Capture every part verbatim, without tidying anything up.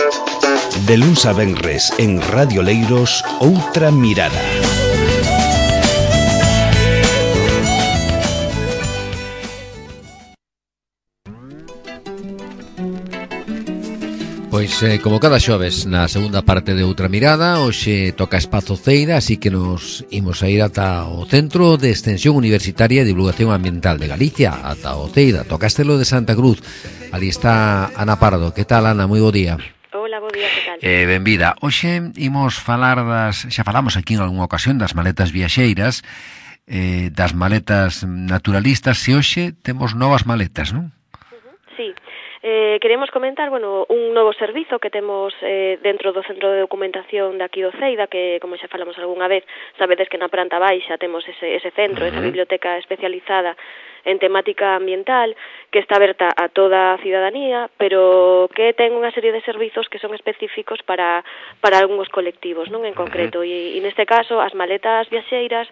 De luns a venres en Radio Leiros, Outra Mirada. Pois, eh, como cada xoves, na segunda parte de Outra Mirada, hoxe toca Espazo Ceira, así que nos imos a ir ata o Centro de Extensión Universitaria e Divulgación Ambiental de Galicia, ata o Ceira, to Castelo de Santa Cruz. Ali está Ana Pardo. Que tal, Ana? Moi bo día. Hola, bo día, que tal? Eh, benvida. Hoxe imos falar das, xa falamos aquí en algunha ocasión das maletas viaxeiras, eh, das maletas naturalistas, e hoxe temos novas maletas, non? Uh-huh. Sí. Eh, queremos comentar, bueno, un novo servizo que temos eh, dentro do Centro de Documentación de aquí do Ceida, que, como xa falamos algunha vez, sabedes que na planta baixa temos ese, ese centro, uh-huh. esa biblioteca especializada en temática ambiental, que está aberta a toda a cidadanía, pero que ten unha serie de servizos que son específicos para, para algúns colectivos, non en concreto, uh-huh. e, e neste caso as maletas viaxeiras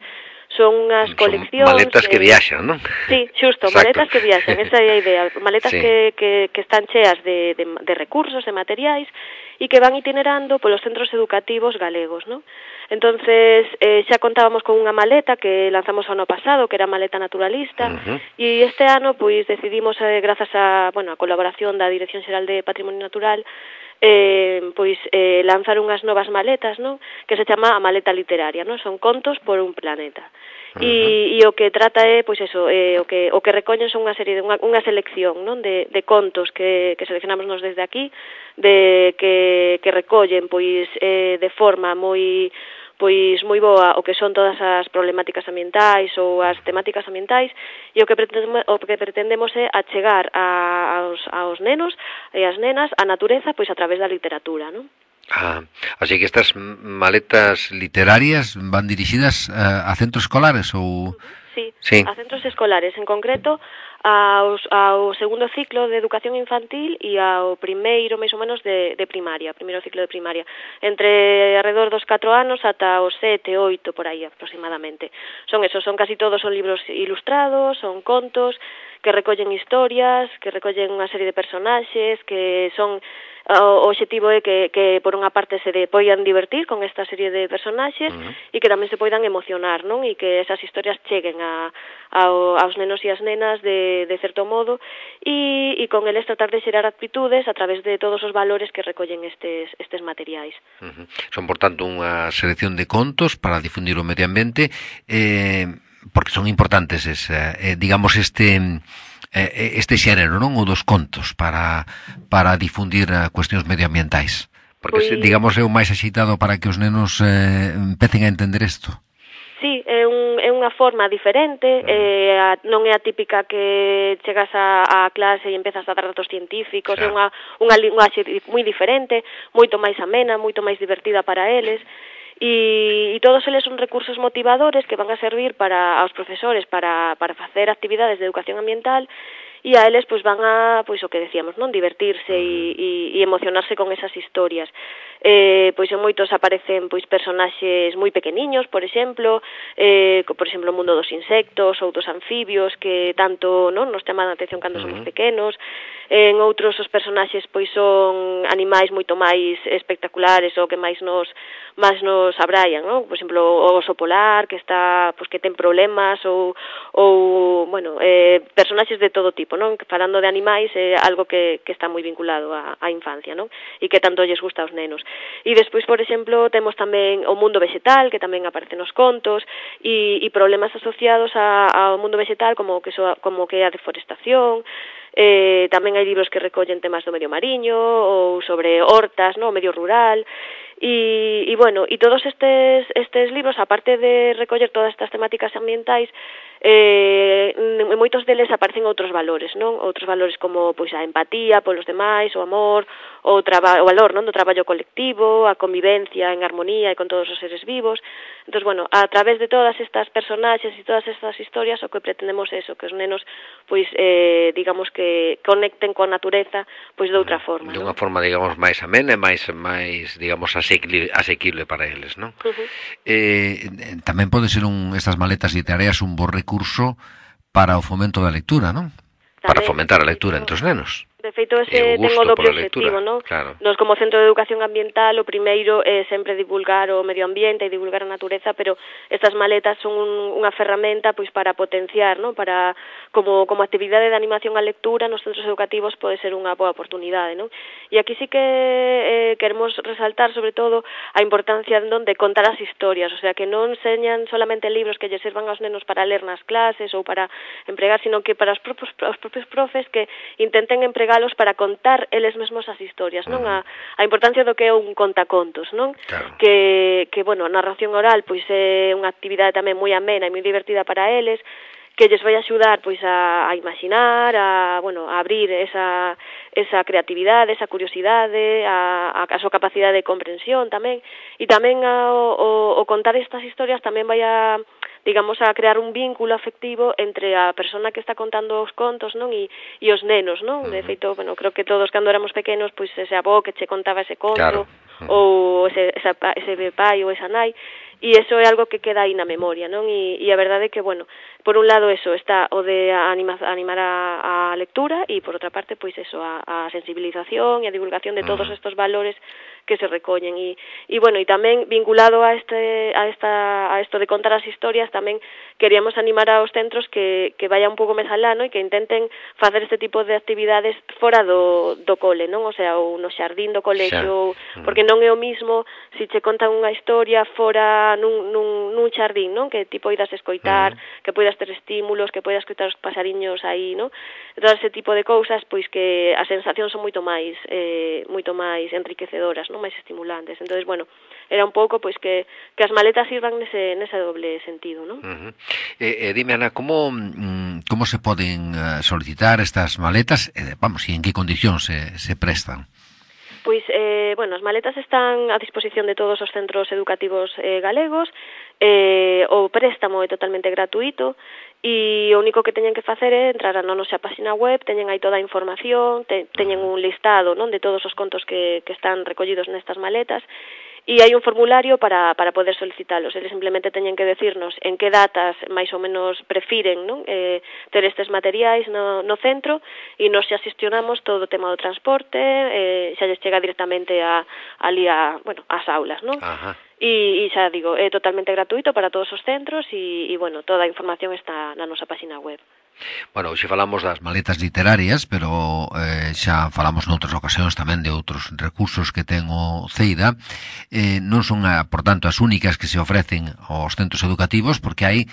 son unhas coleccións... Son maletas que, que viaxan, non? Sí, xusto, exacto. Maletas que viaxan, esa é a idea. Maletas sí. que, que, que están cheas de, de, de recursos, de materiais, e que van itinerando polos centros educativos galegos, non? Entonces, eh, xa contábamos con unha maleta que lanzamos o ano pasado, que era a maleta naturalista, uh-huh. e este ano, pois, decidimos, eh, grazas a, bueno, a colaboración da Dirección Xeral de Patrimonio Natural, eh, pois eh, lanzar unhas novas maletas, non? Que se chama a maleta literaria, non? Son contos por un planeta. Uh-huh. E, e o que trata é, pois eso, eh, o que o que recollen son unha serie de unha, unha selección, non? De, de contos que, que seleccionamos nos desde aquí, de que, que recollen pois eh, de forma moi pois moi boa o que son todas as problemáticas ambientais ou as temáticas ambientais, e o que pretendemos, o que pretendemos é achegar a, aos, aos nenos e as nenas a natureza pois a través da literatura, non? Ah, así que estas maletas literarias van dirixidas a, a centros escolares ou... Sí, sí, a centros escolares, en concreto aos, ao segundo ciclo de educación infantil e ao primeiro, máis ou menos, de, de primaria, primeiro ciclo de primaria, entre alrededor dos catro anos ata os sete, oito, por aí aproximadamente. Son esos, son casi todos, son libros ilustrados, son contos que recollen historias, que recollen unha serie de personaxes, que son... O obxectivo é que, que por unha parte se de, poidan divertir con esta serie de personaxes uh-huh. e que tamén se poidan emocionar, non? E que esas historias cheguen a, a, aos nenos e as nenas de, de certo modo, e, e con eles tratar de xerar actitudes a través de todos os valores que recollen estes, estes materiais. Uh-huh. Son, por tanto, unha selección de contos para difundir o medio ambiente, eh, porque son importantes, es, eh, digamos, este... este xénero, non? O dos contos para, para difundir uh, cuestións medioambientais. Porque, pues, digamos, é o máis axitado para que os nenos eh, empecen a entender isto. Sí, é, un, é unha forma diferente, uh-huh. eh, a, non é a típica que chegas a, a clase e empezas a dar datos científicos, claro. É unha, unha linguaxe moi diferente, moito máis amena, moito máis divertida para eles. E, e todos eles son recursos motivadores que van a servir para aos profesores para, para facer actividades de educación ambiental, e a eles pois van a, pois o que decíamos, non, divertirse e, e, e emocionarse con esas historias. Eh, pois en moitos aparecen pois personaxes moi pequeniños, por exemplo, eh, por exemplo o mundo dos insectos ou dos anfibios que tanto, non, nos chaman a atención cando uh-huh. somos pequenos. En outros os personaxes pois son animais moito máis espectaculares ou que máis nos máis nos abraian, non? Por exemplo, o oso polar que está, pois que ten problemas ou ou, bueno, eh, personaxes de todo tipo, non? Falando de animais é algo que, que está moi vinculado á, á infancia, non? E que tanto lles gusta aos nenos. E despois, por exemplo, temos tamén o mundo vegetal, que tamén aparece nos contos, e, e problemas asociados a, ao mundo vegetal como que, so, como que a deforestación. Eh, tamén hai libros que recollen temas do medio mariño ou sobre hortas, no, o medio rural. E, e bueno, e todos estes, estes libros, aparte de recoller todas estas temáticas ambientais, eh, en moitos deles aparecen outros valores, non? Outros valores como pois a empatía polos demais, o amor, o, traba, o valor, non, do traballo colectivo, a convivencia en armonía e con todos os seres vivos. Entón, bueno, a través de todas estas personaxes e todas estas historias, o que pretendemos é eso, que os nenos, pois, eh, digamos que conecten coa natureza, pois de outra forma, de unha non? forma, digamos, máis amena e máis, máis, digamos, asequible, asequible para eles, non? Uh-huh. Eh, tamén pode ser un, estas maletas literarias un bo recurso para o fomento da lectura, non? Tamén, para fomentar a lectura entre os nenos. De feito, ese ten o doble objetivo, non? Claro. Nos, como Centro de Educación Ambiental, o primeiro é sempre divulgar o medio ambiente e divulgar a natureza, pero estas maletas son un, unha ferramenta pois para potenciar, non? Para, como, como actividade de animación á lectura nos centros educativos pode ser unha boa oportunidade, non? E aquí sí que eh, queremos resaltar, sobre todo, a importancia non, de contar as historias, o sea, que non enseñan solamente libros que lle sirvan aos nenos para ler nas clases ou para empregar, sino que para os propios, os propios profes que intenten empregar para contar eles mesmos as historias, non? A, a importancia do que é un contacontos, non? Claro. Que, que, bueno, a narración oral pois é unha actividade tamén moi amena e moi divertida para eles, que lles vai axudar pois a, a imaginar, a, bueno, a abrir esa, esa creatividade, esa curiosidade, a, a, a súa capacidade de comprensión tamén, e tamén a, o, o contar estas historias tamén vai a, digamos, a crear un vínculo afectivo entre a persona que está contando os contos, non? E, e os nenos, non? De feito, bueno, creo que todos cando éramos pequenos, pois ese avó que che contaba ese conto, claro. ou ese, esa, ese pai ou esa nai, e iso é algo que queda aí na memoria, non? E, e a verdade é que, bueno, por un lado eso está o de anima, animar a, a lectura e por outra parte, pois eso, a, a sensibilización e a divulgación de todos estos valores que se recollen e, e bueno, e tamén vinculado a este a esta a isto de contar as historias, tamén queríamos animar aos centros que que vayan un pouco máis alá, no? E que intenten facer este tipo de actividades fora do do cole, non? O sea, ou no xardín do colexio, xa. Porque non é o mismo se che contan unha historia fora nun nun nun xardín, non? Que ti poidas escoitar, uh-huh. que poidas ter estímulos, que poidas escoitar os pasariños aí, non? Todo ese tipo de cousas, pois que as sensacións son moito máis eh moito máis enriquecedoras, non, máis estimulantes. Entonces, bueno, era un pouco pois que que as maletas sirvan nese nese doble sentido, non? Uh-huh. Eh, eh, dime, Ana, como como se poden uh, solicitar estas maletas, eh, vamos, e en que condicións se se prestan? Pois, eh, bueno, as maletas están a disposición de todos os centros educativos eh, galegos, eh, o préstamo é totalmente gratuito, e o único que teñen que facer é entrar na nosa página web, teñen aí toda a información, te, teñen un listado, non, de todos os contos que, que están recollidos nestas maletas, e hai un formulario para, para poder solicitalos. Eles simplemente teñen que decirnos en que datas máis ou menos prefiren, non? Eh, ter estes materiais no, no centro, e nos xa xestionamos todo o tema do transporte, eh, xa lles chega directamente a, ali a, bueno, ás aulas, non? Ajá. E, e xa digo, é totalmente gratuito para todos os centros e, e bueno, toda a información está na nosa página web. Bueno, hoxe falamos das maletas literarias, pero eh, xa falamos noutras ocasións tamén de outros recursos que ten o CEIDA. Eh, non son, a, por tanto, as únicas que se ofrecen aos centros educativos, porque hai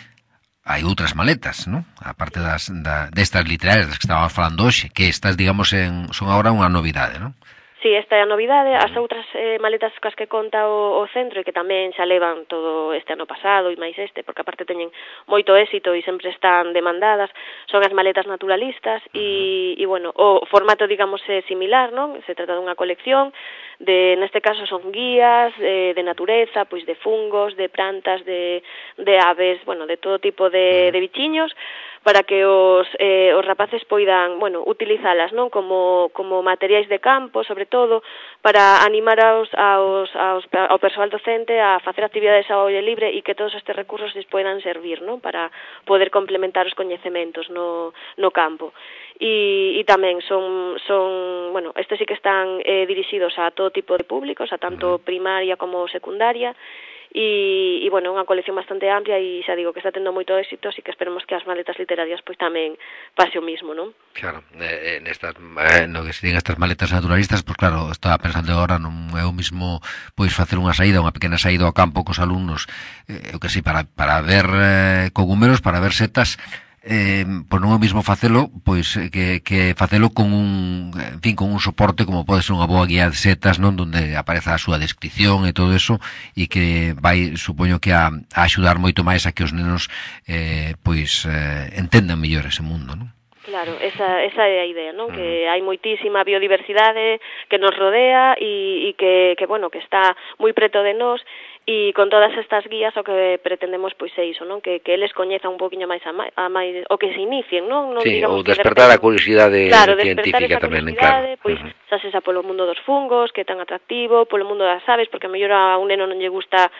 hai outras maletas, non? A parte das, da, destas literarias das que estábamos falando hoxe, que estas, digamos, en, son agora unha novidade, non? Sí, esta é a novidade. As outras eh, maletas cas que conta o, o centro e que tamén xa levan todo este ano pasado e máis este, porque aparte teñen moito éxito e sempre están demandadas, son as maletas naturalistas e, e bueno, o formato, digamos, é similar, non? Se trata dunha colección de, neste caso son guías de, de natureza, pois de fungos, de plantas, de, de aves, bueno, de todo tipo de, de bichiños, para que os, eh, os rapaces poidan, bueno, utilizalas, non? Como, como materiais de campo, sobre todo, para animar aos, aos, aos, ao persoal docente a facer actividades ao aire libre e que todos estes recursos les poidan servir, non? Para poder complementar os coñecementos no, no campo. E, e tamén son, son, bueno, estes sí que están eh, dirixidos a todo tipo de públicos, a tanto primaria como secundaria, e, e bueno, unha colección bastante amplia e xa digo que está tendo moito éxito, así que esperemos que as maletas literarias pois tamén pase o mismo, non? Claro, eh, nestas, eh, no que se digan estas maletas naturalistas, pois claro, estaba pensando agora, non é o mismo pois facer unha saída, unha pequena saída ao campo cos alumnos, eh, eu que sei, para, para ver eh, cogumelos, para ver setas, eh, pois non é o mismo facelo pois que, que facelo con un, en fin, con un soporte como pode ser unha boa guía de setas, non, donde apareza a súa descripción e todo eso, e que vai, supoño que a, a axudar moito máis a que os nenos eh, pois eh, entendan mellor ese mundo, non? Claro, esa, esa é a idea, non? Uh-huh. Que hai moitísima biodiversidade que nos rodea e, e que, que, bueno, que está moi preto de nós, E con todas estas guías o que pretendemos pois é iso, non? Que, que eles coñezan un poquinho máis a, máis, a máis o que se inicien, non? non sí, digamos ou despertar de repente, a curiosidade claro, científica tamén, claro. Pois Uh-huh. xa se xa polo mundo dos fungos, que é tan atractivo, polo mundo das aves, porque a mellor a un neno non lle gusta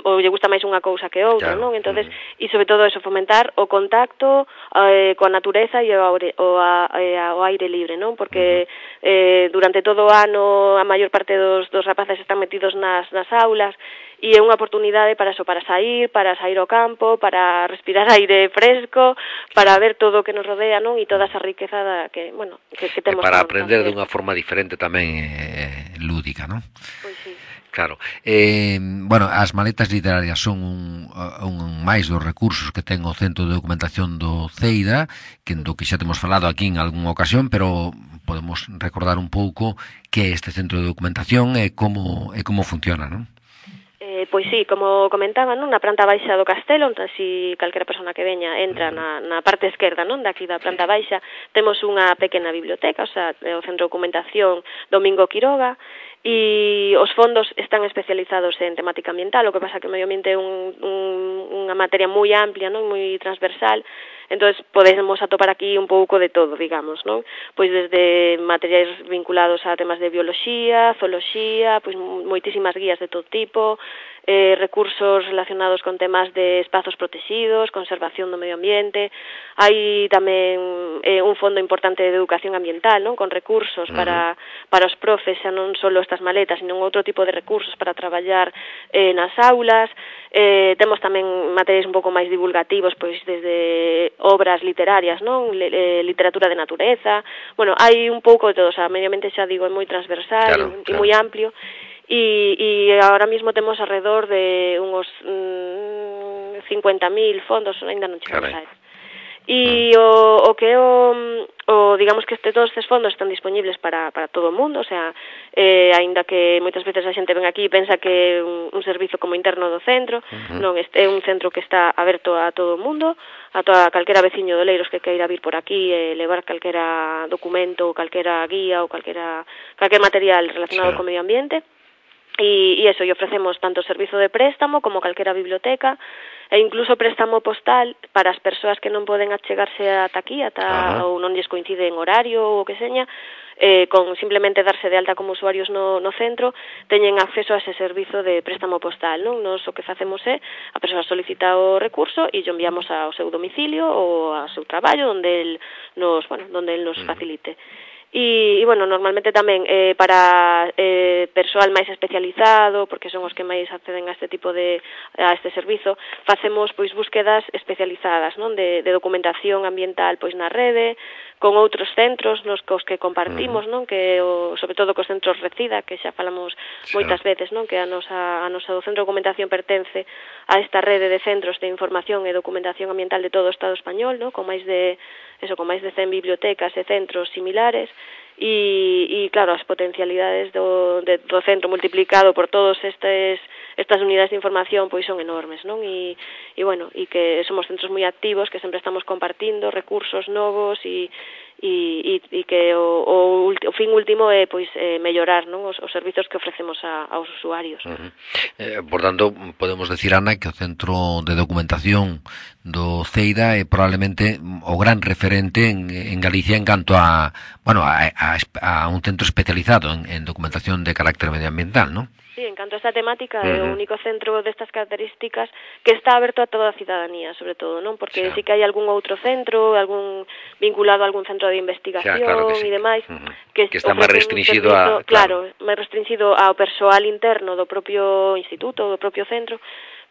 ou lle gusta máis unha cousa que outra, claro. Non? Entonces, uh-huh. E sobre todo eso, fomentar o contacto eh, coa natureza e o, o, a, a, o aire libre, non? Porque uh-huh. eh, durante todo o ano a maior parte dos, dos rapaces están metidos nas, nas aulas, e é unha oportunidade para eso, para sair, para sair ao campo, para respirar aire fresco, para ver todo o que nos rodea, non? E toda esa riqueza da que, bueno, que, que temos. E para aprender de unha forma diferente tamén eh, lúdica, non? Pois sí. Claro. Eh, bueno, as maletas literarias son un, un máis dos recursos que ten o Centro de Documentación do Ceida, que do que xa temos falado aquí en algunha ocasión, pero podemos recordar un pouco que é este Centro de Documentación e como, e como funciona, non? Eh, pois sí, como comentaba, non, na planta baixa do castelo, onde así calquera persona que veña entra na, na parte esquerda, non, daqui da planta baixa, temos unha pequena biblioteca, o sea, o Centro de Documentación Domingo Quiroga, e os fondos están especializados en temática ambiental, o que pasa que o medio ambiente é un, un, unha materia moi amplia, non, moi transversal. Entonces podemos atopar aquí un pouco de todo, digamos, non? Pois desde materiais vinculados a temas de bioloxía, zooloxía, pois moitísimas guías de todo tipo, eh, recursos relacionados con temas de espazos protegidos, conservación do medio ambiente. Hai tamén eh, un fondo importante de educación ambiental, non? Con recursos uh-huh. para para os profes, xa non só estas maletas, sino outro tipo de recursos para traballar eh, nas aulas. Eh, temos tamén materiais un pouco máis divulgativos, pois desde obras literarias, non? Le, eh, literatura de natureza. Bueno, hai un pouco de todo, o sea, medio ambiente xa digo, é moi transversal claro, e claro. moi amplio. E, e agora mesmo temos alrededor de uns mm, cincuenta mil fondos, ainda non chegamos a eso. E o, o que o, o digamos que este, todos estes fondos están disponibles para, para todo o mundo, o sea, eh, aínda que moitas veces a xente ven aquí e pensa que é un, un servizo como interno do centro, uh-huh. non, este é un centro que está aberto a todo o mundo, a toda calquera veciño de Oleiros que queira vir por aquí e levar calquera documento, ou calquera guía ou calquera, calquer material relacionado sí. co medio ambiente. E, e eso, e ofrecemos tanto servizo de préstamo como calquera biblioteca e incluso préstamo postal para as persoas que non poden achegarse ata aquí, ata, ou non lles coincide en horario ou o que seña, eh, con simplemente darse de alta como usuarios no, no centro, teñen acceso a ese servizo de préstamo postal, non? Nos o que facemos é, a persoa solicita o recurso e yo enviamos ao seu domicilio ou ao seu traballo, onde el nos, bueno, donde el nos facilite. E, e bueno, normalmente tamén eh, para eh, persoal máis especializado, porque son os que máis acceden a este tipo de a este servizo, facemos pois búsquedas especializadas, non, de, de documentación ambiental pois na rede, con outros centros nos cos que compartimos, non, que o, sobre todo cos centros Recida, que xa falamos sí. moitas veces, non, que a nosa a nosa Centro de Documentación pertence a esta rede de centros de información e documentación ambiental de todo o Estado español, non, con máis de eso, con máis de cen bibliotecas e centros similares. E, e claro, as potencialidades do, de, do centro multiplicado por todos estes estas unidades de información pois son enormes, non? E, e bueno, e que somos centros moi activos, que sempre estamos compartindo recursos novos e e, e, e que o, o, o fin último é pois eh, mellorar, non, os, os servizos que ofrecemos a, aos usuarios. Uh-huh. Eh, por tanto, podemos decir, Ana, que o Centro de Documentación do Ceida é probablemente o gran referente en, en Galicia en canto a, bueno, a, a, a un centro especializado en, en documentación de carácter medioambiental, non? Sí, en canto a esta temática, é uh-huh. o único centro destas características que está aberto a toda a cidadanía, sobre todo, non? Porque sí, sí que hai algún outro centro, algún vinculado a algún centro de investigación e claro sí. demais, uh-huh. que, que está máis restringido servizo, a... Claro, claro máis restringido ao persoal interno do propio instituto, do propio centro,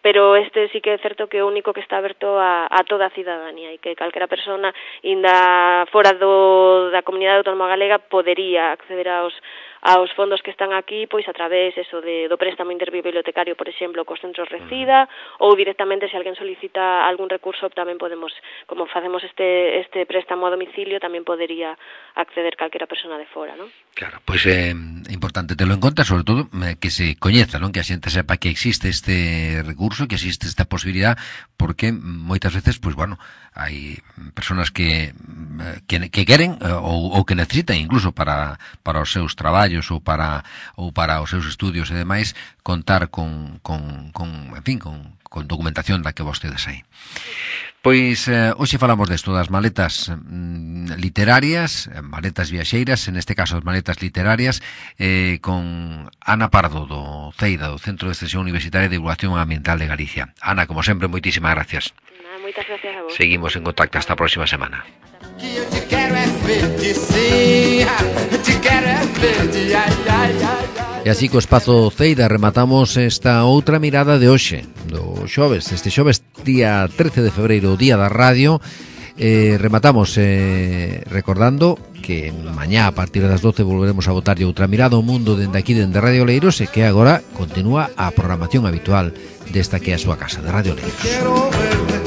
pero este sí que é certo que é o único que está aberto a, a toda a cidadanía e que calquera persona inda fora do, da comunidade autónoma galega podería acceder aos aos fondos que están aquí, pois a través eso de, do préstamo interbibliotecario, por exemplo, cos centros Recida, ou directamente se alguén solicita algún recurso, tamén podemos, como facemos este este préstamo a domicilio, tamén podería acceder calquera persona de fora, non? Claro, pois é eh, importante telo en conta, sobre todo eh, que se coñeza, non? Que a xente sepa que existe este recurso, que existe esta posibilidad, porque moitas veces, pois bueno, hai personas que que, que queren ou, ou que necesitan incluso para para os seus traballos traballos ou para ou para os seus estudios e demais, contar con, con, con en fin, con, con documentación da que vostedes hai. Pois eh, hoxe falamos desto, das maletas mm, literarias, maletas viaxeiras, en este caso as maletas literarias, eh, con Ana Pardo do CEIDA, do Centro de Extensión Universitaria de Divulgación Ambiental de Galicia. Ana, como sempre, moitísimas gracias. Nah, moitas gracias a vos. Seguimos en contacto hasta a próxima semana. E así co espazo CEIDA rematamos esta outra mirada de hoxe, do xoves, este xoves día trece de febreiro, día da radio. eh, Rematamos eh, recordando que mañá a partir das doce volveremos a botarlle outra mirada ao mundo dende aquí, dende Radio Leiros, e que agora continúa a programación habitual desta que é a súa casa, de Radio Leiros.